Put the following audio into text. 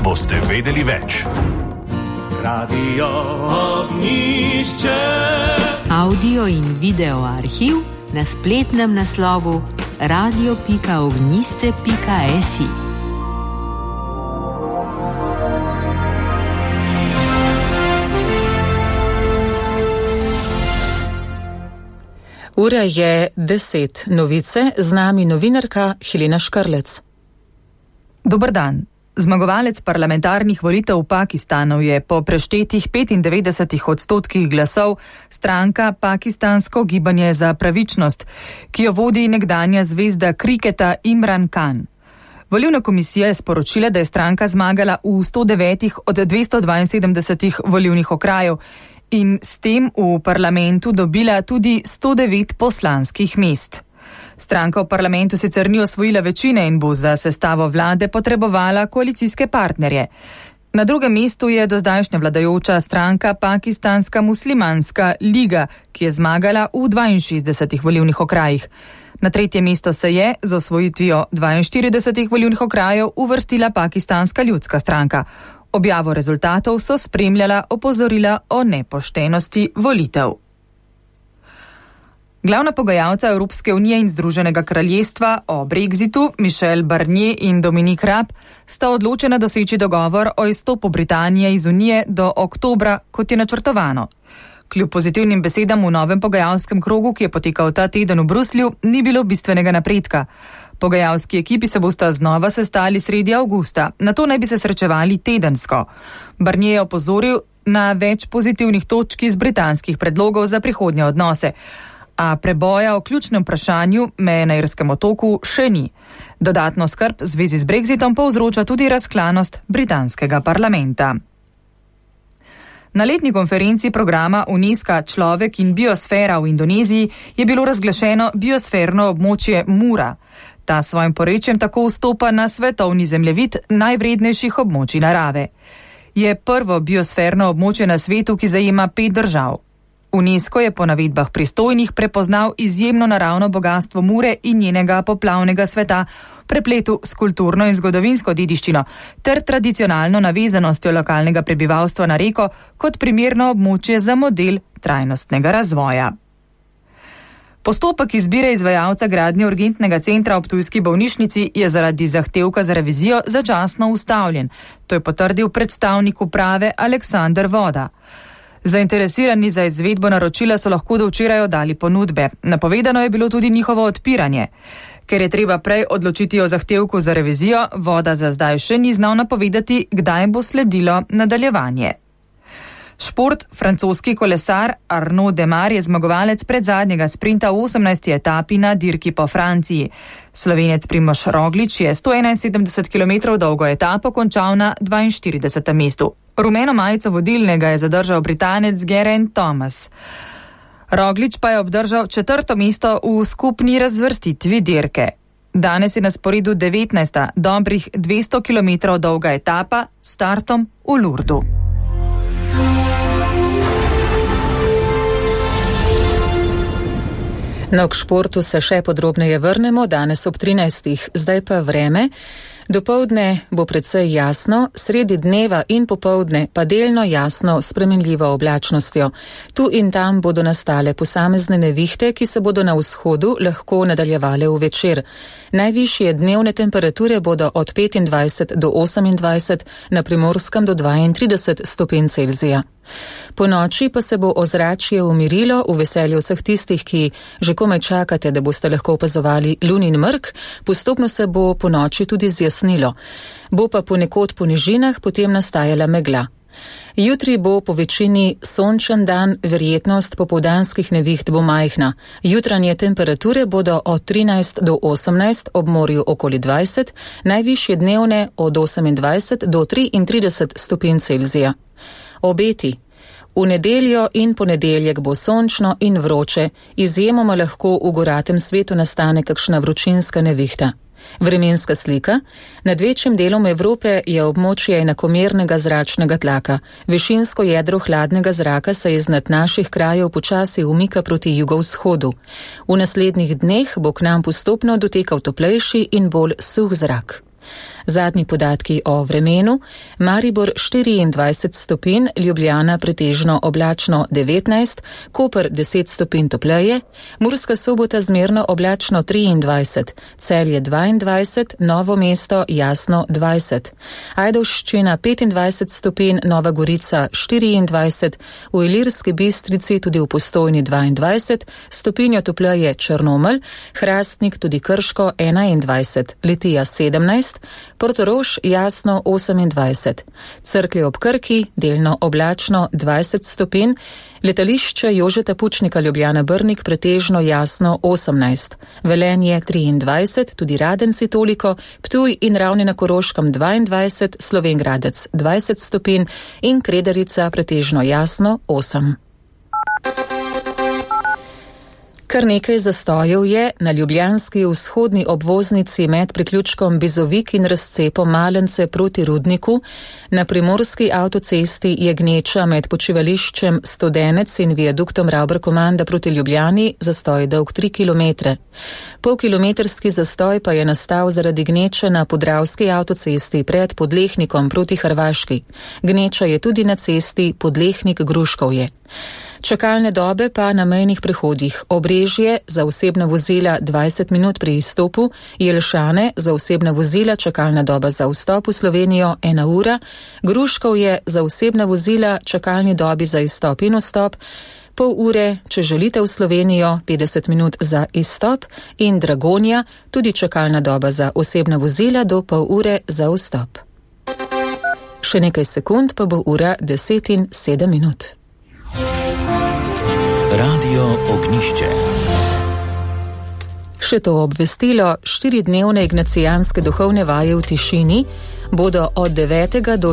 boste vedeli več. Radio Ognjišče. Audio in video arhiv na spletnem naslovu radio.ognjišče.si. Ura je 10. Novice, z nami novinarka Helena Škrlec. Dober dan. Zmagovalec parlamentarnih volitev v Pakistanu je po preštetih 95% glasov stranka Pakistansko gibanje za pravičnost, ki jo vodi nekdanja zvezda kriketa Imran Khan. Volilna komisija je sporočila, da je stranka zmagala v 109 od 272 volilnih okrajev in s tem v parlamentu dobila tudi 109 poslanskih mest. Stranka v parlamentu sicer ni osvojila večine in bo za sestavo vlade potrebovala koalicijske partnerje. Na drugem mestu je dozdajšnja vladajoča stranka Pakistanska muslimanska liga, ki je zmagala v 62 volilnih okrajih. Na tretje mesto se je z osvojitvijo 42 volilnih okrajev uvrstila Pakistanska ljudska stranka. Objavo rezultatov so spremljala opozorila o nepoštenosti volitev. Glavna pogajalca Evropske unije in Združenega kraljestva o Brexitu, Michel Barnier in Dominic Raab, sta odločena doseči dogovor o izstopu Britanije iz unije do oktobra, kot je načrtovano. Kljub pozitivnim besedam v novem pogajalskem krogu, ki je potekal ta teden v Bruslju, ni bilo bistvenega napredka. Pogajalski ekipi se bosta znova sestali sredi avgusta, nato naj bi se srečevali tedensko. Barnier je opozoril na več pozitivnih točk iz britanskih predlogov za prihodnje odnose, a preboja o ključnem vprašanju meje na Irskem otoku še ni. Dodatno skrb v zvezi z Brexitom povzroča tudi razklanost britanskega parlamenta. Na letni konferenci programa UNESCO Človek in biosfera v Indoneziji je bilo razglašeno biosferno območje Mura. Ta svojim porečjem tako vstopa na svetovni zemljevid najvrednejših območij narave. Je prvo biosferno območje na svetu, ki zajema 5 držav. UNESCO je po navedbah pristojnih prepoznal izjemno naravno bogatstvo Mure in njenega poplavnega sveta, prepletu s kulturno in zgodovinsko dediščino ter tradicionalno navezanostjo lokalnega prebivalstva na reko kot primerno območje za model trajnostnega razvoja. Postopek izbire izvajalca gradnje urgentnega centra ob ptujski bolnišnici je zaradi zahtevka za revizijo začasno ustavljen. To je potrdil predstavnik uprave Aleksander Voda. Zainteresirani za izvedbo naročila so lahko do včeraj oddali ponudbe. Napovedano je bilo tudi njihovo odpiranje. Ker je treba prej odločiti o zahtevku za revizijo, Voda za zdaj še ni znal napovedati, kdaj bo sledilo nadaljevanje. Šport, francoski kolesar Arnaud Démare je zmagovalec predzadnjega sprinta v 18. etapi na dirki po Franciji. Slovenec Primož Roglič je 171 km dolgo etapo končal na 42. mestu. Rumeno majico vodilnega je zadržal Britanec Geraint Thomas. Roglič pa je obdržal 4. mesto v skupni razvrstitvi dirke. Danes je na sporedu 19. dobrih 200 km dolga etapa s startom v Lourdu. No, k športu se še podrobneje vrnemo danes ob 13. Zdaj pa vreme. Dopoldne bo precej jasno, sredi dneva in popoldne pa delno jasno s spremenljivo oblačnostjo. Tu in tam bodo nastale posamezne nevihte, ki se bodo na vzhodu lahko nadaljevale v večer. Najvišje dnevne temperature bodo od 25 do 28, na Primorskem do 32 stopinj Celzija. Po noči pa se bo ozračje umirilo v veselju vseh tistih, ki že komaj čakate, da boste lahko opazovali lunin mrk, postopno se bo po noči tudi zjasnilo. Bo pa ponekod po nižinah potem nastajala megla. Jutri bo po večini sončen dan, verjetnost popoldanskih neviht bo majhna. Jutranje temperature bodo od 13 do 18, ob morju okoli 20, najvišje dnevne od 28 do 33 stopinj Celzija. Obeti. V nedeljo in ponedeljek bo sončno in vroče, izjemoma lahko v goratem svetu nastane kakšna vročinska nevihta. Vremenska slika. Nad večjim delom Evrope je območje enakomernega zračnega tlaka. Višinsko jedro hladnega zraka se iznad naših krajev počasi umika proti jugovzhodu. V naslednjih dneh bo k nam postopno dotekal toplejši in bolj suh zrak. Zadnji podatki o vremenu: Maribor 24 stopinj, Ljubljana pretežno oblačno 19, Koper 10 stopinj topleje, Murska Sobota zmerno oblačno 23, Celje 22, Novo mesto jasno 20, Ajdovščina 25 stopinj, Nova Gorica 24, v Ilirski Bistrici tudi v Postojni 22, stopinjo topleje Črnomelj, Hrastnik tudi Krško 21, Litija 17, Portorož jasno 28, Cerklje ob Krki delno oblačno 20 stopinj, Letališče Jožeta Pučnika Ljubljana Brnik pretežno jasno 18, Velenje 23, tudi Radenci toliko, Ptuj in Ravne na Koroškem 22, Slovenj Gradec 20 stopinj in Kredarica pretežno jasno 8. Kar nekaj zastojev je na ljubljanski vzhodni obvoznici med priključkom Bizovik in razcepom Malence proti Rudniku, na primorski avtocesti je gneča med počivališčem Studenec in viaduktom Ravber-Komanda proti Ljubljani, zastoj dolg 3 km. Polkilometrski zastoj pa je nastal zaradi gneče na podravski avtocesti pred Podlehnikom proti Hrvaški. Gneča je tudi na cesti Podlehnik-Gruškovje. Čakalne dobe pa na mejnih prehodih: Obrežje za osebna vozila 20 minut pri izstopu, Jelšane za osebna vozila čakalna doba za vstop v Slovenijo 1 ura, Gruškovje za osebna vozila čakalni dobi za izstop in vstop pol ure, če želite v Slovenijo 50 minut za izstop, in Dragonja tudi čakalna doba za osebna vozila do pol ure za vstop. Še nekaj sekund pa bo ura 10:07. Radio Ognjišče. Še to obvestilo: 4-dnevne ignacijanske duhovne vaje v tišini bodo od 9. do